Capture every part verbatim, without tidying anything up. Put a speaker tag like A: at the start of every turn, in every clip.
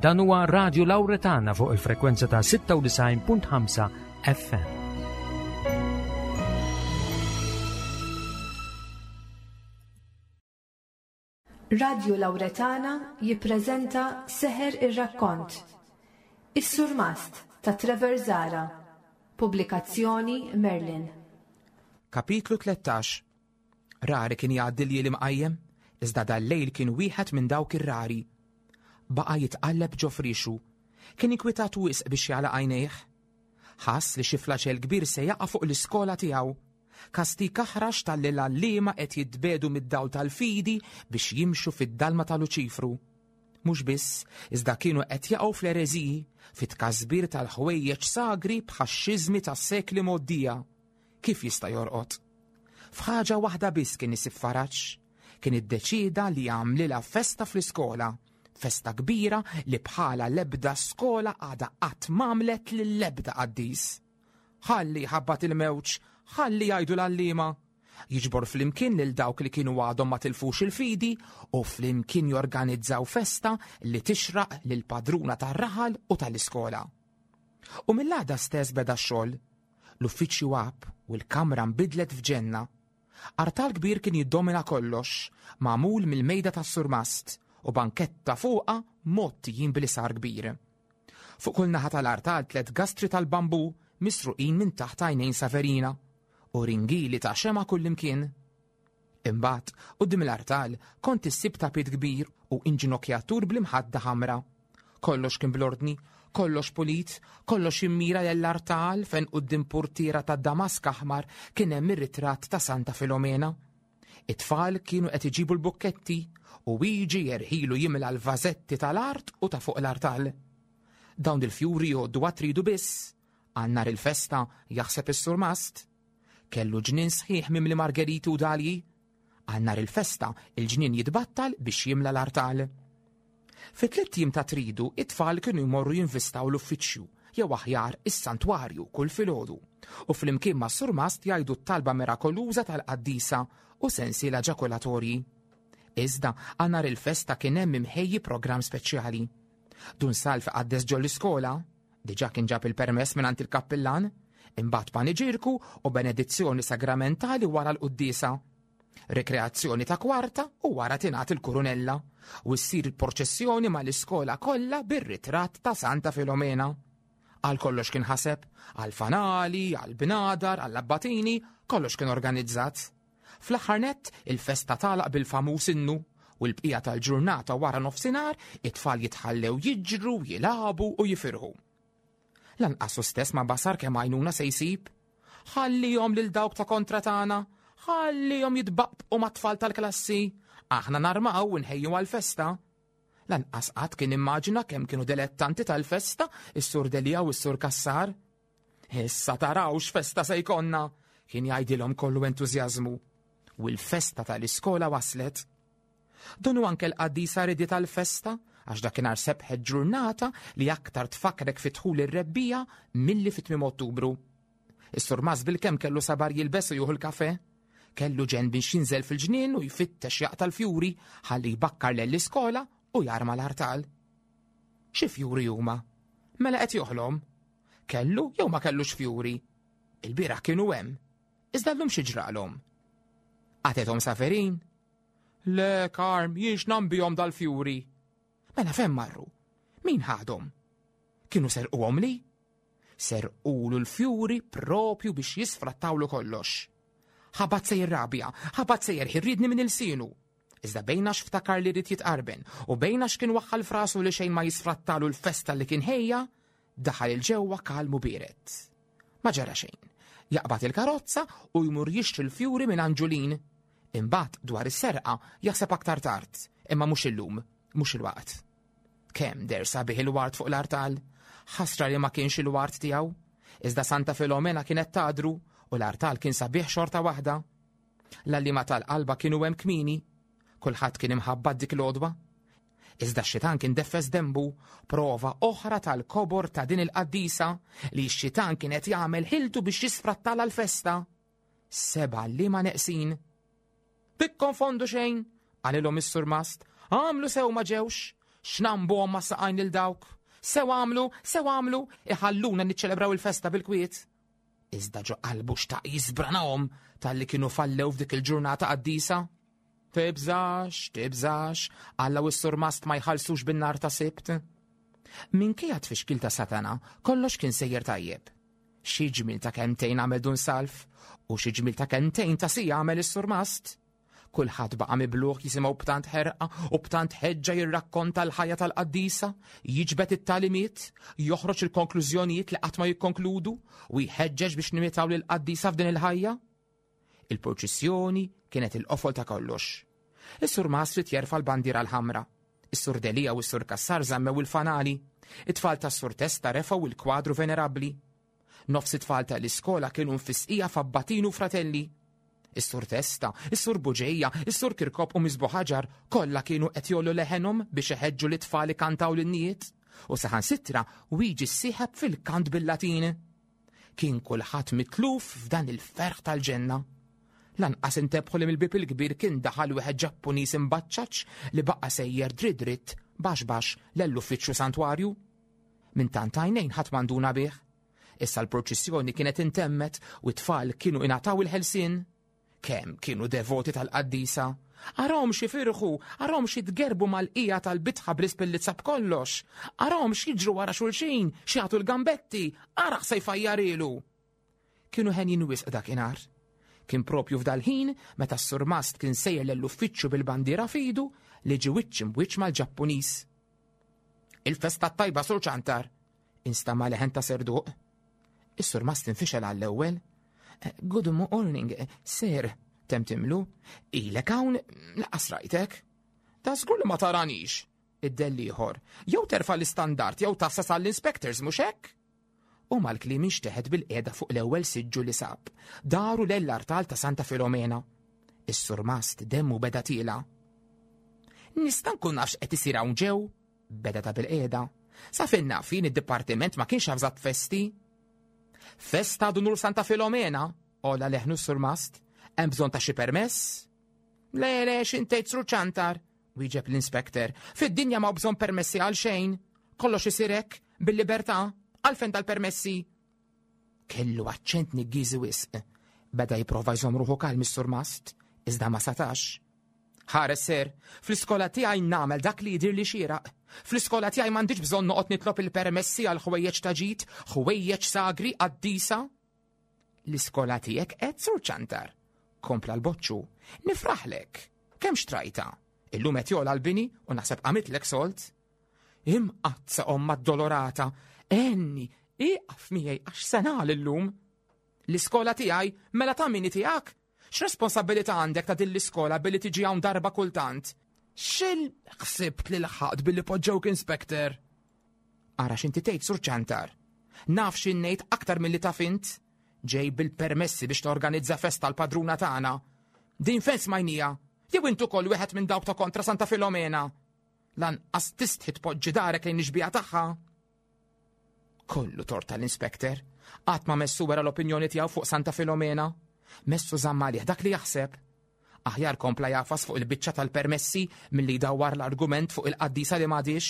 A: Dan huwa Radio Lauretana fuq il-frekwenza ta' sitta u disgħin punt ħamsa F M.
B: Radio Lauretana jippreżenta Seħer ir-Rakkont. Is-Surmast ta' Trevor Zara. Pubblikazzjoni Merlin.
C: Kapitlu tlettax. Rari kien jgħaddi lejl imqajjem, iżda dal-lejl kien wieħed minn dawk ir-rari. Baqa' jitqalleb ġo frixu. Kien inkwitat wisq biex jagħlaq għajnejh. Ħass li xi flaġell kbir se jaqa' fuq l-iskola tiegħu. Kastig aħrax talli l-għalliema qed jitbiegħdu mid-dawl tal-fidi biex jimxu fid-dalma ta' Luċifru. Mhux biss, iżda kienu qed jaqgħu fl-ereżiji, fit-tkasbir tal-ħwejjeġ sagri bħax-xiżmi tas-sekli mgħoddija. Kif jista' jorqod? F'ħaġa waħda biss kien isib faraġ. Kien iddeċida li jagħmlilha festa fl-iskola. Festa kbira li bħala l-ebda skola għada qatt m'għamlet lill-ebda qaddis. Ħalli ħabbat il-mewġ, ħalli jgħidu l-għalliema. Jiġbor flimkien lil dawk li kienu għadhom ma tilfux il-fidi u flimkien jorganizzaw festa li tixraq lil padruna tar-raħal u tal-iskola. U mill-għada stess beda x-xogħol. L-uffiċċju għab u l-kamra nbidlet f'ġenna. Artal kbir kien jiddomina kollox, magħmul mill-mejda tas-surmast u banketta fuqha mgħottijin bl-isar kbir. Fuq kull naħa tal-artal tlet gastri tal-bambu misruqin minn taħt għajnejn Saverina u ringili ta' xema kullimkien. Imbagħad, quddiem l-artal kont issib tapit kbir u inġinokjatur bl-imħadda ħamra. Kollox kien bl-ordni, kollox pulit, kollox immira l-artal fejn quddiem purtiera ta' damask aħmar kien hemm ir-ritratt ta' Santa Filomena. It-tfal kienu qed iġibu l-bukketti u jiġi jerħilu jimla l-vażetti tal-art u ta' fuq l-artal. Dawn il-fjuri jgħoddu għat-Tridu biss. Għal nhar il-festa, jaħseb is-surmast. Kellu ġnien sħiħ mimli margeriti u dalji. Għal nhar il-festa il-ġnien jitbattal biex jimla l-artal. Fi tliet jiem ta' Tridu, it-tfal kienu jmorru jinvistaw l-uffiċċju, jew aħjar is-santwarju, kull filgħodu. U flimkien ma' surmast jgħidu t-talba mirakoluża tal-qaddisa u sensiela ġakulatorji. Iżda għal nhar il-festa kien hemm imħejji programm speċjali. Dun Salv qaddes ġol-iskola, diġà kien ġab il-permess minn il-kappillan, imbagħad paniġirku u benedizzjoni sagramentali wara l-quddiesa. Rekreazzjoni ta' kwarta u wara tingħat il-kurunella u ssir il-proċessjoni mal-iskola kollha bir-ritratt ta' Santa Filomena. Għal kollox kien ħaseb, għal fanali, għal bnadar, għal abbatini, kollox kien organizzat. Fl-aħħar nett, il-festa tagħlaq bil-famuż innu u l-bqija tal-ġurnata wara nofsinhar it-tfal jitħallew jiġru, jilagħbu u jifirħu. Lanqas hu stess ma basar kemm għajnuna se jsib. Ħallihom lil dawk ta' kontra tagħna, ħallihom jitbaqbqu mat-tfal tal-klassi, aħna narmaw u nħejju għal-festa. Lanqas qatt kien immaġina kemm kienu dilettanti tal-festa is-Sur Delia u s-Sur Kassar. "Issa taraw x'festa se jkollna," kien jgħidilhom kollu entużjażmu. U l-festa tal-iskola waslet. Donu anke l-qaddisa ridiet tal-festa, għax dakinhar sebħet ġurnata li aktar tfakrek fi dħul ir-rebbiegħa milli fi tmiem Ottubru. Is-surmast bil-kemm kellu sabar jilbes u jieħu l-kafe. Kellu ġen biex jinżel fil-ġnien u jfittex jaqta' l-fjuri ħalli jbakkar l-iskola u jarma l-artal. Xi fjuri huma? Mela qed joħlom? Kellu jew ma kellux fjuri? Il-bieraħ kienu hemm. Iżda llum xi ġralhom? Qatgħethom Saverin? Le, Karm, jien x'nambihom dal-fjuri. Mela fejn marru? Min ħadhom? Kienu serquhom li? Serqulu l-fjuri propju biex jisfrattawlu kollox. Ħabat se jirrabja, ħabat se jerħi rridni minn ilsienu. Iżda bejn għax ftakar li rrid jitqarben u bejn għax kien waħħal f'rasu li xejn ma jisfrattalu l-festa li kien ħejja, daħal 'il ġewwa kalm u biered. Ma ġara xejn. Jaqbad il-karozza u jmur jixtri l-fjuri minn Anġulin. Imbagħad dwar is-serqa jaħseb aktar tard, imma mhux illum, mhux il-waqt. Kemm deher sabiħ il-ward fuq l-artal, ħasra li ma kienx il-ward tiegħu. Iżda Santa Filomena kienet tadru u l-artal kien sabiħ xorta waħda. L-għalliema tal-qalba kienu hemm kmieni, kulħadd kien imħabbat dik l-għodwa. Iżda x-xitan kien deffes dembu, prova oħra tal-kobor ta' din il-qaddisa li x-xitan kien qed jagħmel ħiltu biex jisfrattala l-festa. Seba' għalliema neqsin. "Tikkonfondu xejn," qalilhom is-surmast, "għamlu sew ma ġewx." X'nambuhom ma' saqajn lil dawk? Sew għamlu, sew għamlu, iħalluna niċċelebraw il-festa bil-kwiet. Iżda ġo qalbu xtaq jisbranahom talli kienu fallew f'dik il-ġurnata qaddisa. Tibżax, tibżax, Alla u s-surmast ma jħallsux bin-nar ta' Sibt. Minkejja tfixkil ta' Satana, kollox kien sejjer tajjeb. Xi ġmiel ta' kelmtejn għamel Dun Salv u xi ġmiel ta' kelmtejn ta' siegħa għamel is-surmast. Kulħadd baqa' miblugħ jisimgħu b'tant ħerqa u b'tant ħeġġa jirrakkonta l-ħajja tal-qaddisa, jiġbed it-tagħlimiet, joħroġ il-konklużjonijiet li qatt ma jikkonkludu u jħeġġeġ biex nimitaw lill-qaddisa f'din il-ħajja. Il-purċissjoni kienet il-qofol ta' kollox. Is-surmast ried jerfa' l-bandiera l-ħamra. Is-Sur Delia u s-Sur Cassar żammew il-fanali. It-tfal tas-Sur Testa refgħu il-kwadru venerabbli. Nofs it-tfal tal-iskola kienu mfisqija f'abbatinu fratelli. Is-Sur Testa, is-Sur Buġeja, is-Sur Kirkop u Miss Buħaġar kollha kienu qed jgħollu leħenhom biex iħeġġu lit-tfal ikantaw l-innijiet u saħansitra Wiġi ssieħeb fil-kant bil-Latin. Kien kulħadd mitluf f'dan il-ferħ tal-ġenna. Lanqas intebħu li mill-bieb il-kbir kien daħal wieħed Ġappuniż imbaċċaċ li baqa' sejjer dritt dritt baxx baxx l-uffiċċju santwarju. Minn tant għajnejn ħadd m'għanduna bih. Issa l-proċessjoni kienet intemmet u t-tfal kienu ingħataw il-ħelsien. Kemm kienu devoti tal-qaddisa. Arahom x'jifirħu, arahom x'jitgerbu mal-qija tal-bitħa bl-ispillizza b'kollox. Arahom x'jiġru wara xulxin, x'jagħtu l-gambetti, araħ se jfajjarilu. Kienu henjin wisq dakinhar. Kien propju f'dal-ħin meta s-surmast kien sejjer l-uffiċċju bil-bandiera f'idu li ġie wiċċ imb'wiċċ mal-Ġappuniż. Il-festa tajba, Sur Ċantar, instama' leħen ta' serduq. Is-surmast infixel għall-ewwel. Good morning, sir, temtimlu. Ilek hawn lanqas rajtek. Ta' żgur li ma taranix, iddell ieħor. Jew terfa' l-istandard jew tgħassas għall-inspectors, mhux hekk? U mal-kliem inxteħet bil-qiegħda fuq l-ewwel siġġu li sab. Daru l-artal ta' Santa Filomena. Is-surmast demmu beda tiela. Nista' nkun naf x'qed isir hawn ġew? Beda ta' bil-qiegħda. Sa fejn naf jien id-dipartiment ma kienx avżat festi. Festa d'unur Santa Filomena, għolla leħnu s-surmast. Hemm bżonn ta' xi permess? Le, le, x'intejt Sur Ċantar, wieġeb l-inspector. Fid-dinja ma bżonn permessi għal xejn. Kollox isir hekk, bil-libertà, għalfejn dal-permessi. Kellu aċċent niggiżi wisq. Beda jipprova jżomm ruħu kalm is-surmast, iżda ma setax. Ħares sir, fl-iskola tiegħi nagħmel dak li jidir li xieraq. Fl-iskola tiegħi m'għandix bżonn noqgħod nitlob il-permessi għal ħwejjeġ ta' ġid, ħwejjeġ sagri qaddisa. L-iskola tiegħek qed Sur Ċantar. Kompla l-boċċu. Nifraħlek. Kemm xtrajta? Illum qed jogħla l-bini u naħseb qamitlek solt. Imqaddsa Omm Addolorata, enni, iqaf miegħi għax sena illum. L-iskola tiegħi mela ta' min tiegħek? X'responsabilità għandek ta' din l-iskola billi tiġi hawn darba kultant? X'il ħsibt li lħaqt billi poġġewk inspector? Ara x'inti tgħid Sur Ċantar. Naf x'in ngħid aktar milli taf int. Ġej bil-permessi biex torganizza festa l-padruna tagħna. Din fejn smajnija? Jew int ukoll wieħed minn dawk ta' kontra Santa Filomena? Lanqas tistħi tpoġġi darek lejn ix-xbieha tagħha. Kollu tort tal-inspector. Qatt ma messu wera l-opinjoni tiegħu fuq Santa Filomena. Messu żamm għalih dak li jaħseb. Aħjar kompla jagħfas fuq il-biċċa tal-permessi milli jdawwar l-argument fuq il-qaddisa li m'għadix.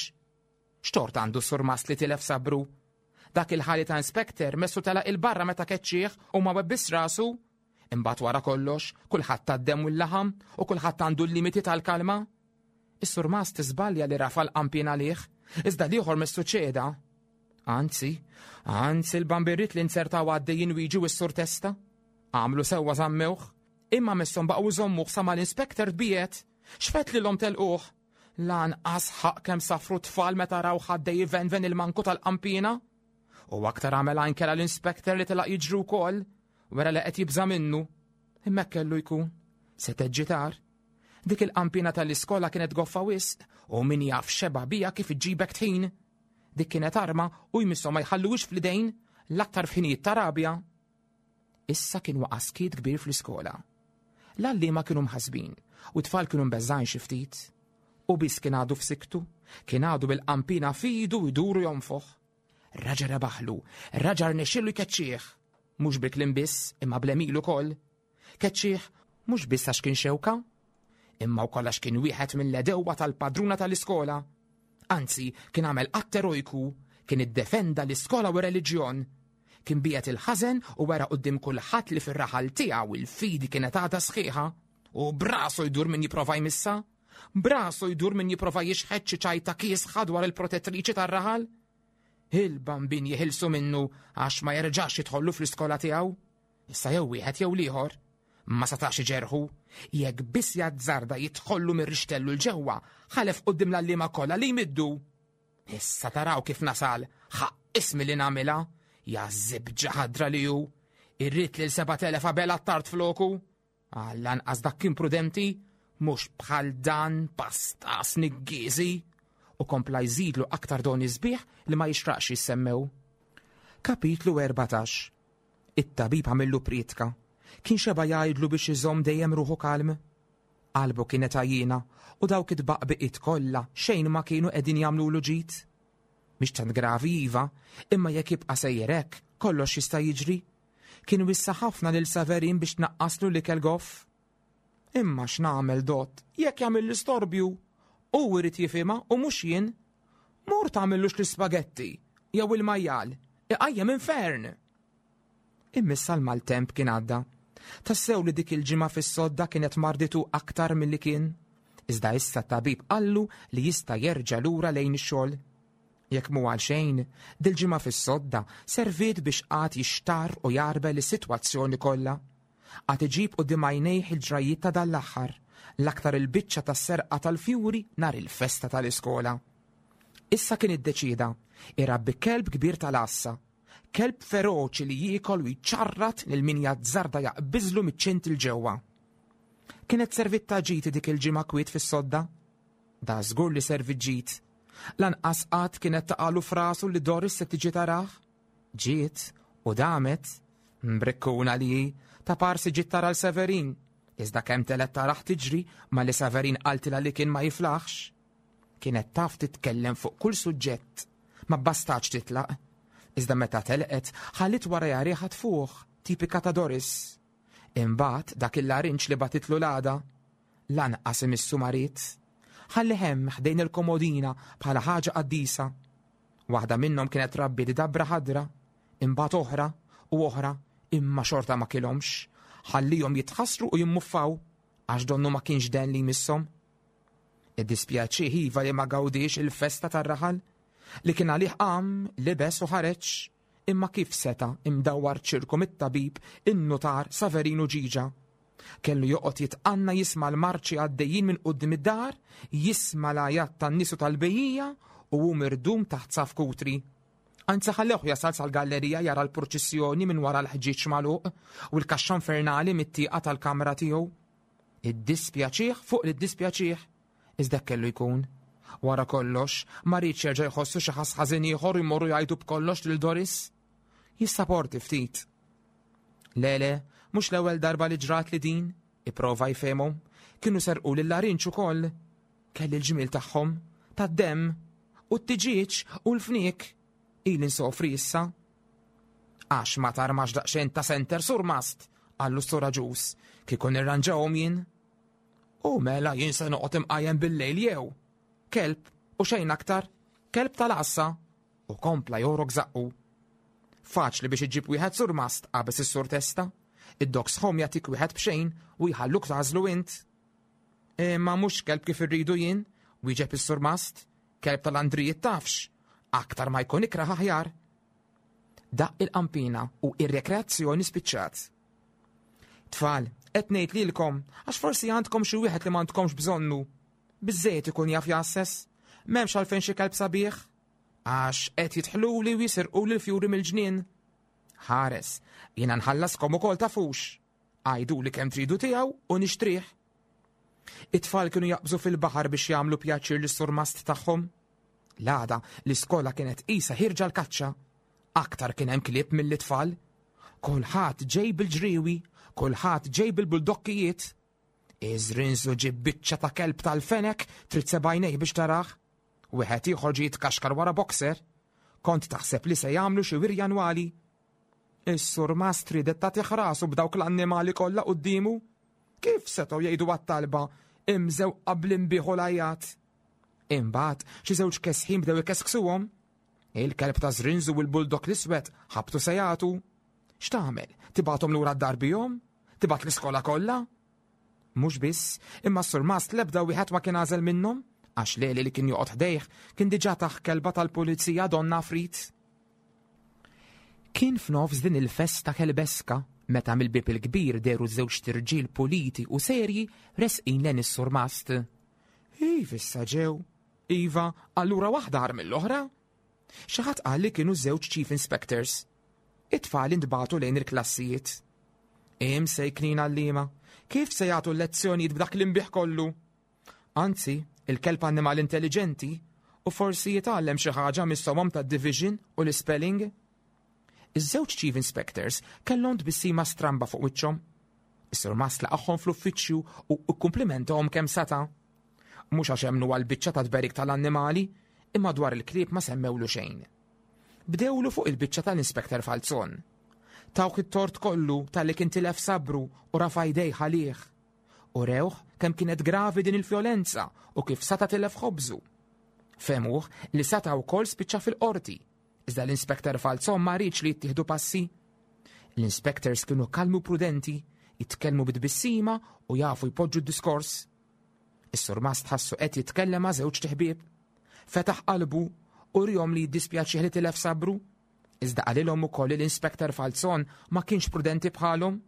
C: X'tort għandu surmast li tilef sabru? Dak il-ħali ta' inspector messu telaq 'il barra meta keċċieħ u ma webbis rasu. Imbagħad wara kollox, kulħadd tad-demm u l-laħam u kulħadd għandu l-limiti tal-kalma. Is-surmast żbalja li rafa' l-qanpiena għalih, iżda l-ieħor messu ċeda. Anzi, anzi l-bambirrit li nzertaw għaddejjin wiġi u s-Sur Testa. Għamlu sewwa żammewh, imma messhom baqgħu jżommuh sa ma l-inspector tbiet. X'fet lilhom telquh? Lanqas ħaqq kemm safru tfal meta raw ħaddej venven il-manku tal-qampina. U aktar għamel anke l-inspector li telaq jiġru wkoll, wera li qed jibża' minnu. Imma kellu jkun, se teġġitar. Dik il-qampina tal-iskola kienet goffa wisq u min jaf xeba bija kif iġġibek tħin. Dik kienet arma u jmisshom ma jħalluhiex fl-idejn l-aktar f'ħinijiet ta' rabja. Issa kien waqa' skiet kbir fl-iskola. L-għalliema kienu mħasbin u t-tfal kienu mbeżżgħin xi ftit. U biss kien għadu f'siktu, kien għadu bil-qampina f'idu jduru jonfoħ. Raġa rebaħlu, raġa rnexxielu jkeċċih. Mhux bil-kliem biss, imma bl-għemil ukoll. Keċċih mhux biss għax kien xewka, imma wkoll għax kien wieħed mill-edewwa tal-padruna tal-iskola. Anzi, kien għamel att erojku, kien iddefenda l-iskola u r-reliġjon. Kien biegħed il-ħażen u wera quddiem kulħadd li fir-raħal tiegħu il-fidi kienet għadha sħiħa. U brasu jdur min jipprova jmissa. Brasu jdur min jipprova jixħet xi ċajta kiesħa dwar il-protettriċi tar-raħal. Il-bambin jeħilsu minnu għax ma jerġax jidħollu fl-iskola tiegħu. Issa jew wieħed jew l-ieħor. Ma setax iġerħu. Jekk biss jazzarda jidħollu mir-rixtellu l-ġewwa, ħalef quddiem l-għalliema kollha li jmiddu. Issa taraw kif nasal, ħaqq ismi li nagħmilha. Ja żibġa ħadra li hu. Irrid lil sebat elef Abela Attard floku. Għall-anqas dak kien prudenti, mhux bħal dan pastas niggieżi. U kompla jżidlu aktar doni sbieħ li ma jixraqx jissemmew. Kapitlu erbatax. It-tabib għamillu prietka. Kien xeba jgħidlu biex iżomm dejjem ruħu kalm. Qalbu kienet għajjiena u dawk it-tbaqbiqiet kollha xejn ma kienu qegħdin jagħmlulu ġid. Mhix tant gravi iva, imma jekk jibqa' sejjer hekk, kollox jista' jiġri. Kien wissa ħafna lil Saverin biex tnaqqaslu l-ikel goff. Imma x'nagħmel dott, jekk jagħmel l-istorbju. Hu irid jifhimha u mhux jien. Mur tagħmillux l-ispagetti jew il-majjal, iqajjem infern. Immissa l-maltemp kien għadda. Tassew li dik il-ġimgħa fis-sodda kienet marditu aktar milli kien. Iżda issa t-tabib qallu li jista' jerġa' lura lejn ix-xogħol. Jekk mhu għal xejn, dil-ġimgħa fis-sodda serviet biex qagħad jixtarr u jarbel is-sitwazzjoni kollha. Qagħad iġib quddiem għajnejh il-ġrajiet ta' dan l-aħħar, l-aktar il-biċċa tas-serqa tal-fjuri nhar il-festa tal-iskola. Issa kien iddeċieda irabbi kelb kbir tal-għassa, kelb feroċi li jiekol u jċarrat lil min jazzarda jaqbiżlu miċ-ċint il ġewwa. Kienet servit ta' ġid dik il-ġimgħa kwiet fis-sodda? Da żgur li servit ġid. Lanqas qatt kienet taqalu frasu li Doris se tiġi tarah. Ġiet u damet, mbrikkuna li hi, ta' parsi ġiet tara l-Severin. Iżda kemm telet taraħ tiġri ma li Severin qaltilha li kien ma jiflaħx. Kienet taf titkellem fuq kull suġġett, ma bastax titlaq. Iżda meta telqet, ħallit wara riħa tfuħ, tipika ta' Doris. Imbagħad dak il-larinġ li batitlu l-għada, lanqas imissu marit. Ħalli hemm ħdejn il-komodina bħala ħaġa qaddisa. Waħda minnhom kienet rabbi di dabra ħadra, imbagħad oħra u oħra, imma xorta ma kilhomx. Ħallihom jitħassru u jimmuffaw għax donnu ma kienx den li jmisshom. Iddispjaċih iva li ma gawdix il-festa tar-raħal, li kien għalih qam, libes u ħareġ, imma kif seta' imdawwar ċirku mit-tabib, in-nutar Saverinu Ġiġa. Kellu joqgħod jitqanna jisma' l-marċi għaddejjin minn quddiem id-dar, jisma' l-għajat tan-nies u tal-bejjija u hu mirdum taħt saf kutri. Anzi ħallewh jasal sal-gallerija jara l-purċissjoni minn wara l-ħġieġ magħluq u l-kaxxa infernali mit-tieqa tal-kamra tiegħu. Iddispjaċih fuq li ddispjaċih, iżda kellu jkun. Wara kollox, ma riedx jerġa' jħossu xi ħass ħażin ieħor u jmorru jgħidu b'kollox lil Doris. Jissaporti ftit. Le, le, mhux l-ewwel darba li ġrat li din, ipprova jfehmhom. Kienu serqu lil larinġ ukoll. Kelli l-ġmiel tagħhom, tad-demm, u t-tiġieġ u l-fniek. Ili nsofri issa. Għax ma tarmax daqsxejn ta' senter surmast, qallu s-sur Aġus, kieku nirranġahom jien. U mela jien se noqgħod imqajjem bil-lejl jew. Kelb u xejn aktar, kelb tal-għassa, u kompla jorok zaqqu. Faċli biex iġib wieħed surmast, qabeż is-sur Testa. Id-dogs home jagħtik wieħed b'xejn u jħalluk tagħżlu int. Imma mhux kelb kif irridu jien, wieġeb is-surmast, kelb tal-Andrijiet tafx, aktar ma jkun ikraħ aħjar. Daqq il-qampina u ir-rekreazzjoni spiċċat. Tfal, qed ngħid lilkom għax forsi għandkom xi wieħed li m'għandkomx bżonnu. Biżżejjed ikun jaf jassess, m'hemmx għalfejn xi kelb sabiħ, għax qed jidħluli u jisirquli l-fjuri mill-ġnien. Ħares, jiena nħallaskom ukoll tafux. Għajduli kemm tridu tiegħu u nixtrih. It-tfal kienu jaqbżu fil-baħar biex jagħmlu pjaċir lis-surmast tagħhom. L-għada l-iskola kienet qisha ħirġa l-kaċċa. Aktar kien hemm klieb mill-tfal. Kulħadd ġej bil-ġriewi, kulħadd ġej bil-buldokkijiet. Iżrinżu ġib biċċa ta' kelb tal-fenek trid sebgħajnej biex tarah. Wieħed ieħor ġie jitkaxkar wara boxer. Kont taħseb li se jagħmlu xi wirja annwali. Is-surmast ridet tagħtih rasu b'dawk l-annimali kollha quddiemu. Kif setgħu jgħidu għat-talba imżewqa bl-inbieħ u l-għajat? Imbagħad xi żewġ kesħin bdew ikesksuhom. Il-kelb ta' Żrinżu u l-bulldog l-iswed ħabtu se jagħtu. X'tagħmel? Tibgħathom lura d-dar bihom? Tibgħat l-iskola kollha? Mhux biss, imma s-surmast l-ebda wieħed ma kien għażel minnhom, għax Leli li kien joqgħod ħdejh kien diġà tah kelba tal-pulizija Donna Frit. Kien f'nofs din il-festa kelbeska meta mill-bieb il-kbir dehru żewġt irġiel puliti u serji resqin lejn is-surmast. Iva issa ġew. Iva, allura waħda agħar mill-oħra? Xi ħadd qal li kienu żewġ chief inspectors. It-tfal intbagħtu lejn il-klassijiet. Imsejknin għalliema, kif se jagħtu l-lezzjonijiet b'dak l-inbiħ kollu? Anzi, il-kelb annimal intelligenti u forsi jitgħallem xi ħaġa mis-somom tad-division u l-spelling. Iż-żewġ chief inspectors kellhom tbissima stramba fuq wiċċhom. Is-surmast laqagħhom fl-uffiċċju u kkumplimentahom kemm seta'. Mhux għax emmnu għall-biċċa ta' tberik tal-annimali, imma dwar il-klieb ma semmewlu xejn. Bdewlu fuq il-biċċa tal-Inspector Falzon. Tawh it-tort kollu talli kien tilef sabru u rafa' jdejh għalih. U rewh kemm kienet gravi din il-vjolenza u kif sata tilef ħobżu. Fehmuh li sata wkoll spiċċa fil-qorti, iżda l-Inspector Falzon ma riedx li jittieħdu passi. L-inspectors kienu kalmi u prudenti, jitkellmu bit-tbissima u jafu jpoġġu d-diskors. Is-surmast ħassu qed jitkellem ma' żewġt iħbieb. Fetaħ qalbu u wriehom li jiddispjaċih li tilef sabru. Iżda qalilhom ukoll li l-Inspector Falzon ma kienx prudenti bħalhom.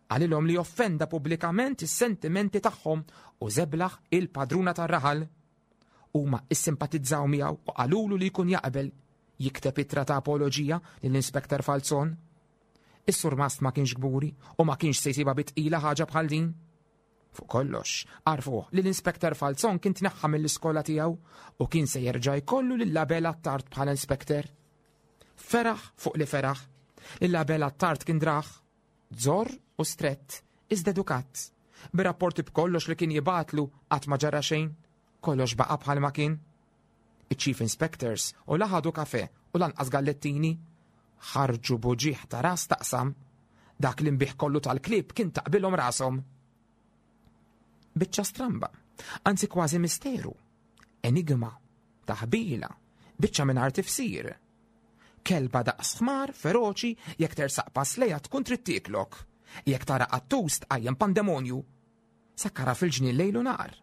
C: Qalilhom li offenda pubblikament is-sentimenti tagħhom u żeblaħ il-padruna tar-raħal. Huma issimpatizzaw miegħu u qalulu li jkun jaqbel jikteb ittra ta' apoloġija lill-Inspector Falzon. Is-surmast ma kienx kburi u ma kienx se jsibha bi tqila ħaġa bħal din. Fuq kollox, għarrfuh li l-Inspector Falzon kien tneħħa mill-iskola tiegħu u kien se jerġa' jkollu lil Abela Attard bħala inspector. Feraħ fuq li feraħ, lil Abela Attard kien drah, żorr u strett, iżda edukat. Bir-rapporti b'kollox li kien jibgħatlu qatt ma ġara xejn, kollox baqa' bħalma kien. Iċ-Chief Inspectors u la ħadu kafè u lanqas gallettini ħarġu b'uġigħ ta' ras taqsam. Dak l-inbiħ kollu tal-klieb kien taqbilhom rashom. Biċċa stramba, anzi kważi misteru, enigma, taħbila, biċċa mingħajr tifsir. Kelba daqs ħmar, feroċi, jekk tersaq pass lejha tkun trid tieklok. Jekk tara qattus tqajjem pandemonju. Sakkara fil-ġnien lejl u nhar.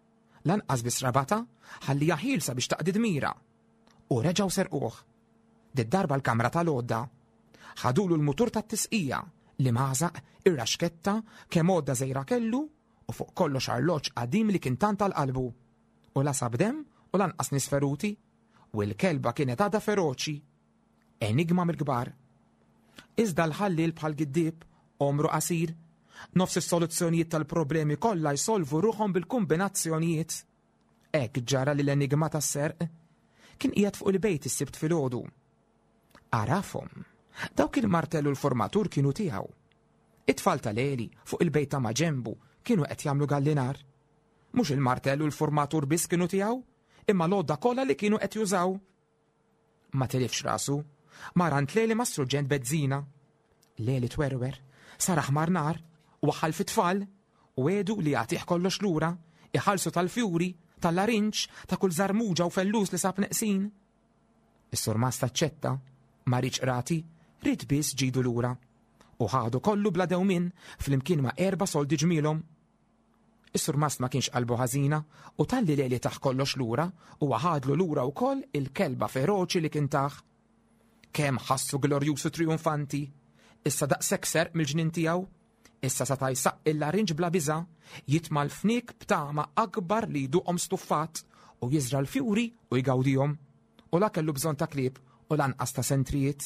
C: Lanqas biss rabata, ħalliha ħielsa biex taqdi dmira. U reġgħu serquh. Did-darba l-kamra tal-għodda. Ħadulu l-mutur tat-tisqija, l-imgħażaq, ir-raxketta, kemm għodda żgħira kellu, u fuq kollox arloġġ qadim li kien tant għal qalbu. U la sab demm u lanqas nies feruti, u l-kelba kienet għadha feroċi. Enigma mill-kbar. Iżda l-ħalliel bħal giddieb, għomru qasir, nofs is-soluzzjonijiet tal-problemi kollha jsolvu ruħhom bil-kombinazzjonijiet. Hekk ġara li l-enigma tas-serq kien qiegħed fuq il-bejt is-Sibt filgħodu. Għarafhom, dawk il-martell u l-formatur kienu tiegħu. It-tfal tal-Eli fuq il-bejt ta' maġenbu kienu qed jagħmlu gallinar. Mhux il-martell u l-formatur biss kienu tiegħu, imma l-għodda kollha li kienu qed jużaw. Ma tilifx rasu, mar għand Leli mas-surġent Bezzina. Leli twerwer, sar aħmar nar, waħħal fit-tfal, u għedu li jagħtih kollox lura, iħallsu tal-fjuri, tal-larinġ, ta' kull żarmuġa u fellus li sab neqsin. Is-surmast aċċetta, ma riedx qrati, ried biss ġidu lura. U ħadu kollu bla dewmien flimkien ma' erba' soldi ġmielhom. Is-surmast ma kienx qalbu ħażina u talli Leli tah kollox lura u ħadlu lura wkoll il-kelba feroċi li kien tah. Kemm ħassu glorjuż u trionfanti, issa daqshekk serq mill-ġnien tiegħu, issa seta' jsaqqi l-larinġ bla biża', jitma' l-fniek b'tama akbar li jduqhom stuffat u jiżra' l-fjuri u jgawdihom. U la kellu bżonn ta' klieb u lanqas ta' sentrijiet.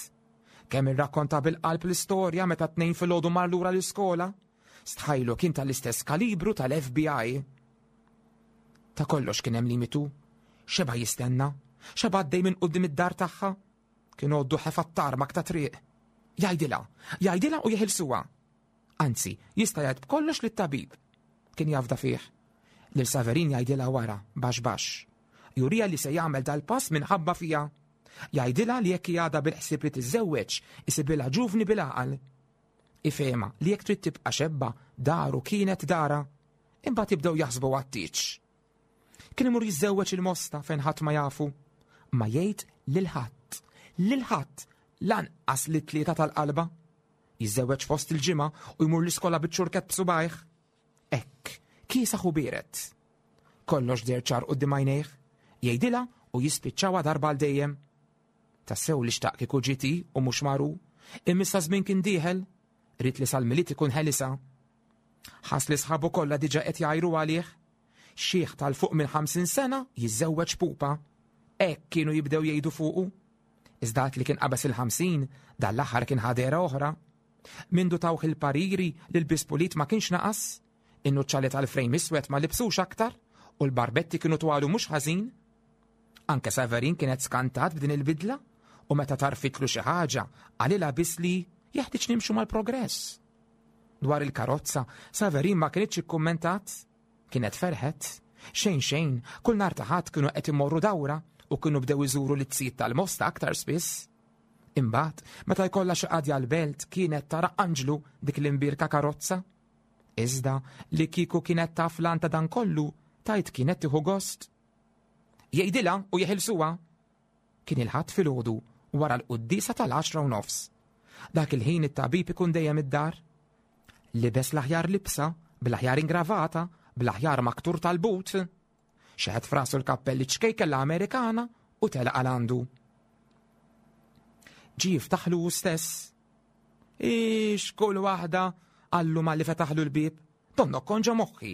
C: Kemm irrakkonta bil-qalb l-istorja meta tnejn filgħodu mar lura l-iskola. Stħajlu kien tal-istess kalibru tal-F B I. Ta' kollox kien hemm limitu. Xeba jistenna, xeba għaddej minn quddiem id-dar tagħha. Kien għoddu ħefa t-tarmak ta' triq. Jgħidilha, jgħidilha u jeħilsuha. Anzi, jista' jgħid b'kollox lit-tabib. Kien jafda fih. Lil Saverin jgħidilha wara, baxx baxx. Jurija li se jagħmel dal-pass minħabba fija. Jgħidilha li jekk għadha bil-ħsieb li tiżżewweġ, isibilha ġuvni bil-għaqal. Ifehma li jekk trid tibqa' xebba, daru kienet dara. Imbagħad jibdew jaħsbu għat-tieġ. Kien imur jiżżewweġ il-Mosta fejn ħadd ma jafu. Ma jgħid lil ħadd, lil ħadd, lanqas li tlieta tal-qalba. Jiżżewweġ fost il-ġimgħa u jmur l-iskola biċ-ċurkett b'subajh. Hekk, kiesaħ u biered. Kollox deher ċar quddiem għajnejh, jgħidilha u jispiċċawha darba għal dejjem. Tassew li xtaq kieku ġiet hi u mhux mar hu, imma issa żmien kien dieħel, ried li sal-Milied ikun ħelisha. Ħass li sħabu kollha diġà qed jgħajru għalih. Xiħ tal-fuq minn ħamsin sena jiżżewweġ pupa. Hekk kienu jibdew jgħidu fuqu. Iżda li kien qabeż il-ħamsin, dan l-aħħar kien ħadera oħra. Mindu tawh il-pariri li l-lbies pulit ma kienx naqas, in-nuċċali tal-frejm iswed ma libsux aktar u l-barbetti kienu twalu mhux ħażin. Anke Severin kienet skantat b'din il-bidla u meta tarfitlu xi ħaġa qalilha biss li jeħtieġ nimxu mal-progress. Dwar il-karozza, Severin ma kinitx ikkummentat. Kienet ferħet. Xejn xejn, kull nhar ta' Ħadd kienu qed imorru dawra u kienu bdew iżuru l-tsit tal-Mosta aktar spiss. Imbagħad, meta jkollha xi qadja l-belt kienet tara anġlu dik l-imbirka karozza. Iżda li kieku kienet taf l ta' dan kollu, tajt kienet tieħu gost. Jgħidilha u jeħilsuha. Kien il-Ħadd filgħodu wara l-quddiesa tal-għaxra u nofs. Dak il-ħin it-tabib ikun dejjem id-dar. Libes l-aħjar libsa, bl-aħjar ingravata, bl-aħjar maktur tal-but. Xeħet f'rasu l-kappelli ċkejken l-Amerikana u telaq għal għandu. Ġie jiftaħlu hu stess. Ix kull waħda, qallu malli fetaħlu l-bieb. Donnok kont ġo moħħi.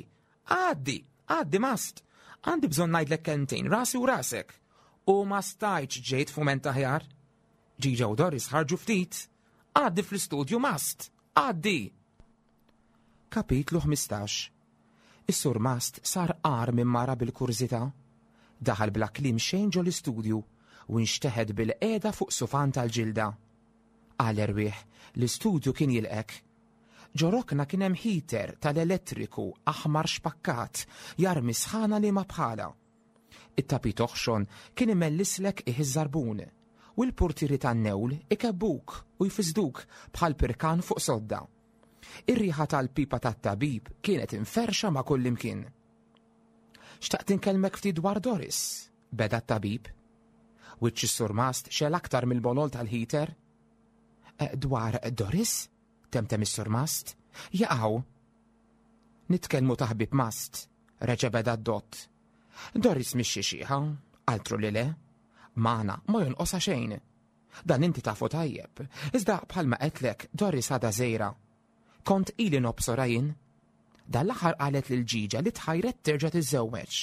C: Għaddi, għaddi mast. Għandi bżonn ngħidlek kelmtejn, rasi u rasek. U ma stajtx ġejt f'mument aħjar. Ġiġa u Doris ħarġu ftit. Għaddi fl-istudju mast. Għaddi. Kapitlu ħmistax. Is-surmast sar qar minn mara bil-kurżità. Daħal bla kliem xejn ġo l-istudju u nxteħet bil-qiegħda fuq sufan tal-ġilda. Għal erwieħ, l-istudju kien jilqek. Ġo rokna kien hemm heater tal-elettriku aħmar xpakkat jarmi sħana li ma bħala. It-tapit oħxon kien imellislek iż-żarbun u l-portieri tan-newl ikebbuk u jfisduk bħal pirkan fuq sodda. Ir-riħa tal-pipa tat-tabib kienet inferxa ma' kullimkien. Xtaqt inkellmek ftit dwar Doris, beda t-tabib. Wiċċ is-surmast xegħel aktar mill-bolol tal-heater. "Eh, dwar Doris? Temtem is-surmast. Jaqaw. Nitkellmu ta' ħbieb mast, reġa' beda d-dott. Doris mhix xi xiħa, altru li le. Magħna ma jonqosha xejn. Dan inti tafu tajjeb, iżda bħalma qedlek Doris għadha żgħira. Kont ili nobsorha jien. Dan l-aħħar qalet lil Ġiġa li tħajret terġa' tiżżewweġ.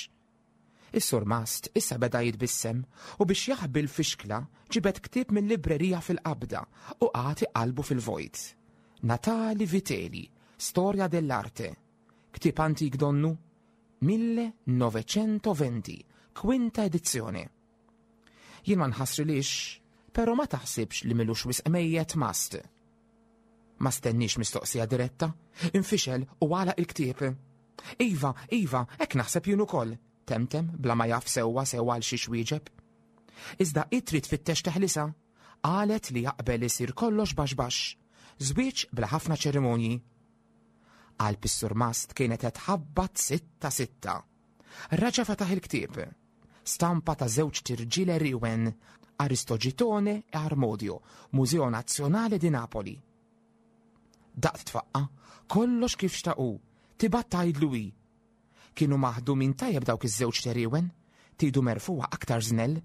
C: Is-surmast issa beda jitbissem u biex jaħbi l-fixkla ġibed ktieb mill-librerija fil-qabda u qagħad iqallbu fil-vojt. Natali Vitelli, Storia dell'arte. Ktieb antik donnu, millenovecento venti, kwinta edizzjoni. Jien ma nħassrilix, pero ma taħsibx li m'ilux wisq mejjet mast. Ma stenniex mistoqsija diretta, infixel u għalaq il-ktieb. Iva, iva, hekk naħseb jien ukoll, temtem bla ma jaf sewwa sewwa għal xiex wieġeb. Iżda trid tfittex teħlisa, qalet li jaqbel isir kollox baxx baxx, żwieġ bla ħafna ċerimonji. Qalb is-surmast kienet qed tħabbat sitta sitta. Raġa fetaħ il-ktieb. Stampa ta' żewġt irġiel għerien, Aristogitone e Armodio, Museo Nazionale di Napoli. Daqt tfaqqa, kollox kif xtaqu, tibgħat tgħidlu hi. Kienu maħdumin tajjeb dawk iż-żewġt għerien, tidu merfugħa aktar żnell.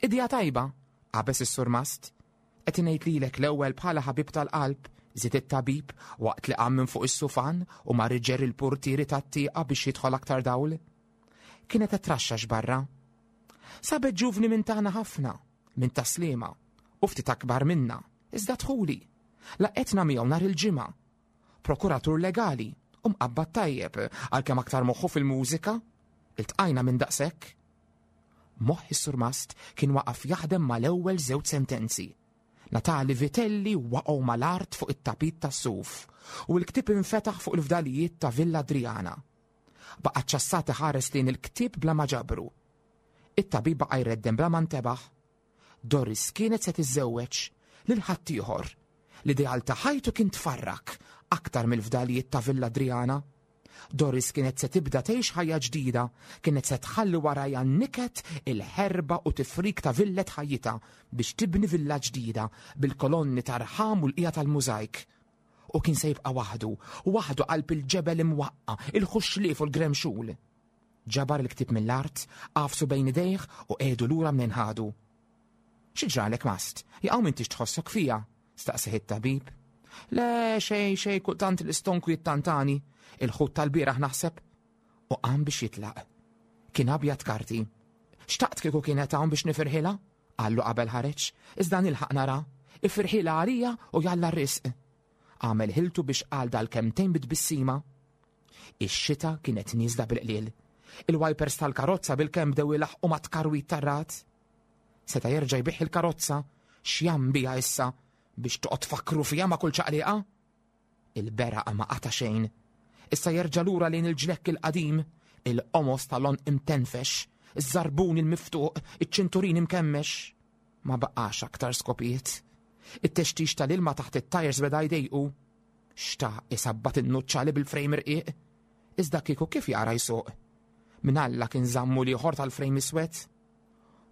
C: Idea tajba, qabeż is-surmast. Qed ngħid lilek l-ewwel bħala ħabib tal-qalb, żied it-tabib waqt li qam minn fuq is-sufan u mar iġerri l-portieri tat-tieqa biex jidħol aktar dawl. Kienet qed traxxax barra. Sabet ġuvni minn tagħna ħafna, minn Tas-Sliema, u ftit akbar minna, iżda dħuli. Laqgħetna miegħu nhar il-Ġimgħa. Prokuratur legali u mqabbad tajjeb għalkemm aktar moħħu fil-mużika. Iltqajna minn daqshekk. Moħħ is-surmast kien waqaf jaħdem mal-ewwel żewġ sentenzi. Natali Vitelli waqgħu mal-art fuq it-tapit tas-suf u l-ktieb infetaħ fuq il-fdalijiet ta' Villa Adriana. Baqa' ċassat iħares lejn il-ktieb bla ma ġabru. It-tabib baqa' jreddem bla ma ntebaħ. Doris kienet se tiżżewweġ lil ħaddieħor. L-ideal ta' ħajtu kien tfarrak aktar mill-fdalijiet ta' Villa Adriana. Doris kienet se tibda tgħix ħajja ġdida, kienet se tħalli warajha n-niket, il-ħerba u tifrik ta' villet ħajjitha biex tibni villa ġdida bil-kolonni tar-rħam u l-qija tal-mużajk. U kien se jibqa' waħdu, waħdu qalb il-ġebel imwaqqa', il-ħuxlief u l-gremxul. Ġabar il-ktieb mill-art, għafsu bejn idejh u qiegħdu lura mnejn ħadu. Xi ġralek Mast? Jaqaw m'intix tħossok fija? Staqsih it-tabib. Le, xej, xej, kultant l-istonku jittantani, il-ħut tal-bieraħ naħseb. U qam biex jitlaq. Kien abjad karti. Xtaqt kieku kienet hawn biex nifirħilha? Qallu qabel ħareġ, iżda nilħaq nara. Ifirħilha għalija u jalla r-risq. Għamel ħiltu biex qal dal-kemtejn bit-tbissima. Ix-xita kienet nieżla bil-qliel. Il-wipers tal-karozza bil-kemm bdew ilaħqu ma' tkarwit tar-ragħad. Seta' jerġa' jbigħ il-karozza, x'jam biha issa biex toqgħod tfakkru fiha ma' kull ċaqliqa? Il-beraq ma qata' xejn. Issa jerġa' lura lejn il-ġlekk il-qadim, il-qomos tal-għonq imtenfex, iż-żarbun il-miftuq, iċ-ċinturin imkemmex. Ma baqax aktar skopijiet. It-textix tal-ilma taħt it-tajers beda jdejqu. Xtaq isabbat in-nuċċali bil-frejm irqiq. Iżda kieku kif jara jsuq? Min Alla kien żammu l-ieħor tal-frejm iswed?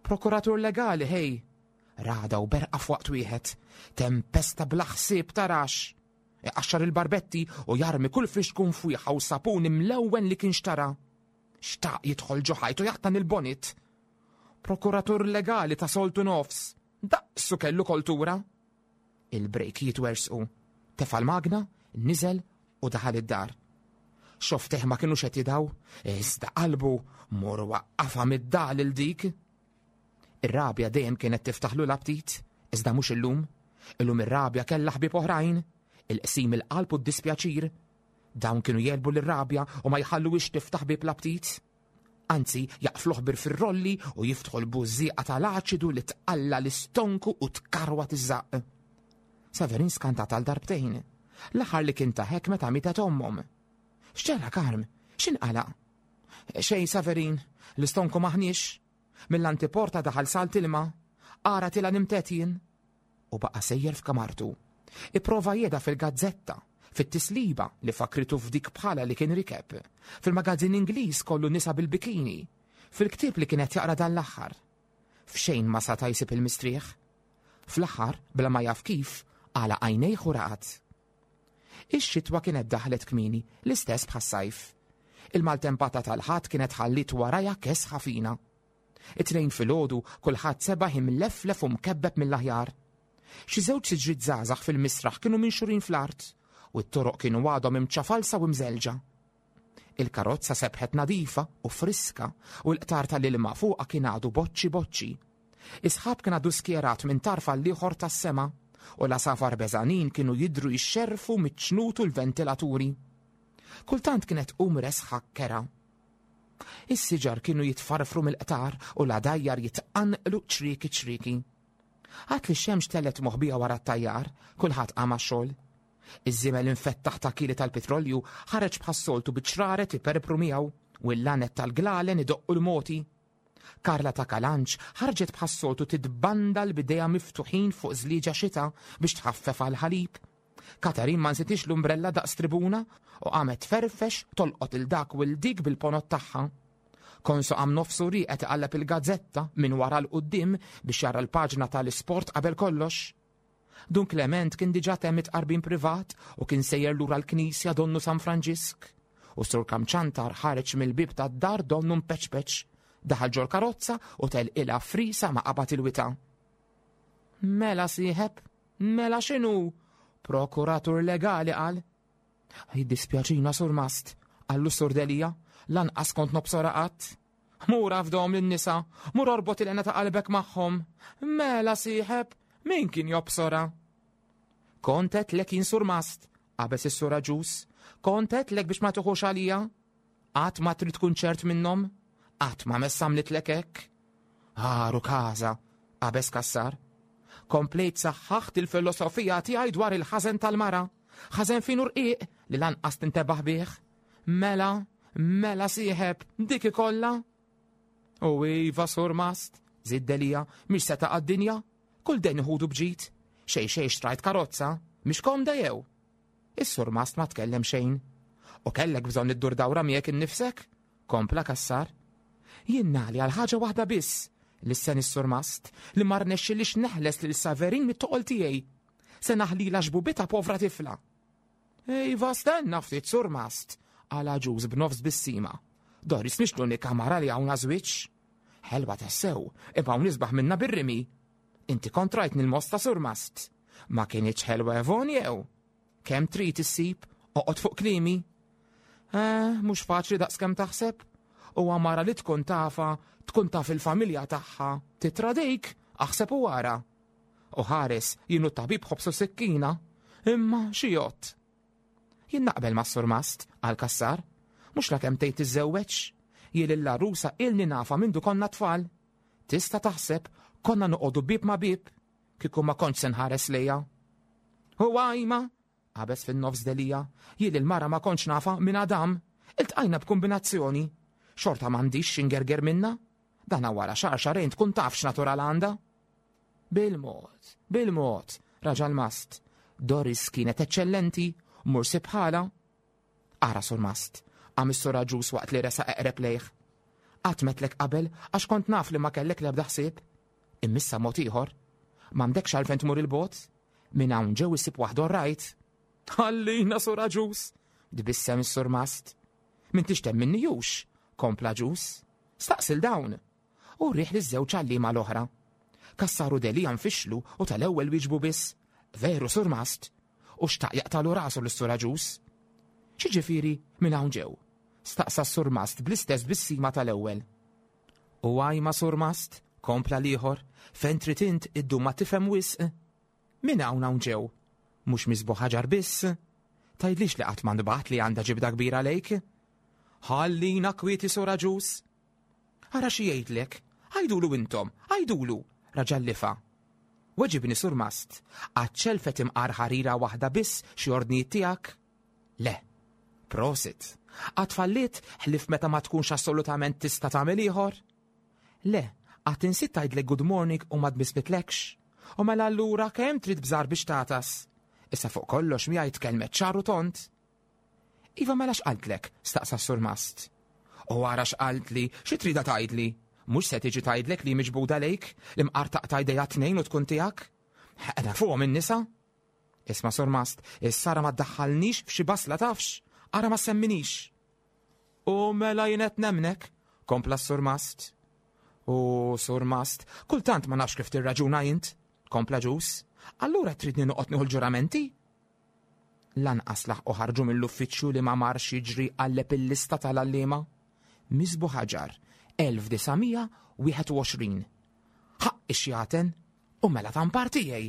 C: Prokuratur legali, ħej! Rada u berqa f'waqt wieħed. Tempesta bla ħsieb tarax. Iqaxxar il-barbetti u jarmi kull flixkun fwieħa u sapun imlewwen li kien xtara. Xtaq jidħol ġo ħajtu jaqtan il-bonit. Prokuratur legali ta' soltu nofs. Daqsu kellu koltura. Il-brejk jitwersqu. Tefa' l-magna, niżel u daħal id-dar. Xofftejh ma kinux qed jidaw, iżda qalbu mur waqqafha mid-dal il dik. Ir-rabja dejjem kienet tiftaħlu l-aptit, iżda mhux illum. Illum ir-rabja kellha ħbieb oħrajn, il-qsim il-qalb u d-dispjaċir. Dawn kienu jelbu lir-rabja u ma jħalluhiex tiftaħ bieb l-aptit. Anzi, jaqfluh bir fir-rolli u jiftħu l-bużżieqa tal-aċidu li tqalla l-istonku u tkarwa tiż-żaqq. Severin skantat għal darbtejn. L-aħħar li kien taħek meta mietet ommhom. X'ġara Karm? X'inqala? Xejn Severin, l-istonku maħniex. Mill-antiporta daħal salt ilma. Ara tila nimtet jien. U baqa' sejjer f'kamartu. Ipprova jeda fil-gazzetta, fit-tisliba li fakritu f'dik bħala li kien rikeb, fil-magazzin Ingliż kollu nisa bil-bikini, fil-ktieb li kienet jaqra dan l-aħħar. F'xejn ma sata' jsib il-mistrieħ. Fl-aħħar, bla ma jaf kif, għala għajnejh u raqad. Ix-xitwa kienet daħlet kmieni, l-istess bħas-sajf. Il-maltempata tal-Ħadd kienet ħalliet warajha kesħa fina. It-tnejn filgħodu kulħadd sebaħ imleflef u mkebbeb mill-aħjar. Xi żewġ siġriet żgħażagħ fil-misraħ kienu minxurin fl-art u t-toroq kienu għadhom imċafalsa u mżelġa. Il-karozza sebħet nadifa u friska u l-qtar tal-ilma fuqha kien għadu boċċi boċċi. Is-sħab kien għadu skjerat minn tarf għall-ieħor tas-sema u l-għasafar beżanin kienu jidhru jixxerrfu miċ-ċnut u l-ventilaturi. Kultant kienet tqum resħa kera. Is-siġar kienu jitfarfru mill-qtar u l-għadajjar jitqanqlu ċrieki ċrieki. Għad li x-xemx telgħet moħbija wara t-tajjar, kulħadd qam għax-xogħol. Iż-żiemel infettaħ ta' kili tal-petrolju ħareġ bħas-soltu biċ-ċraret iperpru miegħu u l-lanet tal-glalen idoqqu l-moti. Karla ta' Kalanċ ħarġet bħas-soltu titbandal b'idejha miftuħin fuq żlieġa xita biex tħaffef għall-ħalib. Katarin ma nsitix l-umbrella daqs tribuna u qamet tferfex tolqot il dak u l dik bil-ponot tagħha. Konsu qam nofsu rieqed iqalleb il-gazzetta minn wara l quddiem biex jara l-paġna tal-isport qabel kollox. Dun Clement kien diġà temm it-tqarbin privat u kien sejjer lura l-knisja donnu San Franġisk. U Sur Kamċantar ħareġ mill-bieb tad-dar donnu mpeċpeċ. Daħal ġol karozza u telqilha frisa ma qabad il-wita. Mela sieħeb, mela x'inhu? Prokuratur legali qal. Jiddispjaċina Sur Mast, qallu Sur Delia, lanqas kont nobsora qatt. Mur afdhom lin-nisa, mur orbot il-għena ta' qalbek magħhom. Mela sieħeb, min kien jobsora? Kont għedtlek jien Sur Mast, qabeż is-Sur Aġus. Kont għedtlek biex ma tuħux għalija. Qatt ma trid tkun ċert minnhom, qatt ma mess għamlitlek hekk. Għaru każa, qabeż Cassar. Komplejt saħħaħt il-filosofija tiegħi dwar il-ħażen tal-mara. Ħażen fin u rqiq li lanqas tintebaħ bih. Mela, mela sieħeb, dik ikollha. U iva Sur Mast, żied Delia, mhix se taqa' d-dinja. Kull dejn iħudu bġid. Xejn xejn xtrajt karozza, mhix komda jew. Is-Sur Mast ma tkellem xejn. U kellek bżonn iddur dawra miegħek innifsek? Kompla Cassar. Jien nagħli għal ħaġa waħda biss, lissen is-surmast, li ma rnexxilix neħles lil Saverin mit-toqol tiegħi. Se naħlilha xbubitha povra tifla. Iva stenna ftit surmast, qal Agius b'nofs bissima. Doris mhix l-unika mara li hawn żwieġ. Ħelwa tassew, imma hawn isbaħ minna bir-rimi. Inti kont rajtni l-mosta surmast. Ma kinitx ħelwa Evon jew? Kemm trid issib, oqgħod fuq klimi. Eh, mhux faċli daqskemm taħseb. U mara li tkun tafa, tkun taf il-familja tagħha, titradejk, aħseb u wara. U ħares, jienu tabib ħobsu sikkina, imma xi jott. Jien naqbel ma' surmast, għal Cassar, mhux la kemm tgħid tiżżewweġ. Jien l-għarusa ilni nafa mindu konna tfal. Tista' taħseb konna noqogħdu bib ma' bib, kieku ma kontx se nħares lejha. U għajma, qabeż fin-nofs Delia, jien il-mara ma kontx nafa minn Adam, iltqajna b'kombinazzjoni. Xorta m'għandix x'ingerger minna. Dana wara xahar xahrejn tkun taf x'natural għandha. Bil-mod, bil-mod, raġa l-mast. Doris kienet eċċellenti, mur bħala. Ara surmast, qam is-sur Agius waqt li resa eqreb lejh. Qatt m'għedtlek qabel għax kont naf li ma kellek l-ebda ħsieb. Immissa mod ieħor. M'għandekx għalfejn tmur il-bogħod. Minn hawn ġew isib waħda rajt. Ħallina sur Agius, tbissem is-surmast. M'intix temminni hux, kompla Agius. Staqsil dawn. U riħ li żewġ għalliema l-oħra. Cassar u Delia nfixlu u tal-ewwel wieġbu biss. Veru surmast. U xtaq jaqtalu rasu l-sur Agius. X'jiġifieri minn hawn ġew? Staqsa s-surmast bl-istess bissima tal-ewwel. U għajma surmast, kompla l-ieħor, fejn trid int iddum ma tifhem wisq. Minn hawn hawn ġew? Mhux misbu ħaġar biss. Tgħidlix li qatt ma nbaħt li għandha ġibda kbira lejk. Ħallina kwieti sur Agius. Ara xi jgħidlek, għajdulu intom, għajdulu, raġa' lifa. Weġibni surmast, għadċelfet imqar ħarira waħda biss xi ordnijiet tiegħek? Le, prosit. Qatt fallit ħlief meta ma tkunx assolutament tista' tagħmel ieħor? Le, qatt insit tgħidlek good morning u ma tbissmitlekx. U mela allura kemm trid bżar biex tatas? Issa fuq kollox miegħi tkellmet ċar u tond. Iva mela x'qaltlek? Staqsa s-surmast. U ara x'qaltli, xi trida tgħidli? Mhux se tiġi tgħidlek li miġbuda lejk, li mqar taqta' jdejha tnejn u tkun tiegħek? Qiegħda fuqhom in-nisa? Isma' surmast, issa ara ma ddaħħalnix f'xi basla tafx, ara ma semminix. U mela jien qed nemnek, kompla s-surmast. U surmast, kultant ma nafx kif tirraġuna int, kompla Agius. Allura tridni noqgħod nieħu l-ġuramenti? Lanqas laħqu ħarġu mill-uffiċċju li ma marx jiġri qalleb il-lista tal-għalliema. Misbu ħaġar, elf disa' mija wieħed u għoxrin. Ħaqq ix-xjaten, u mela tampar tiegħi.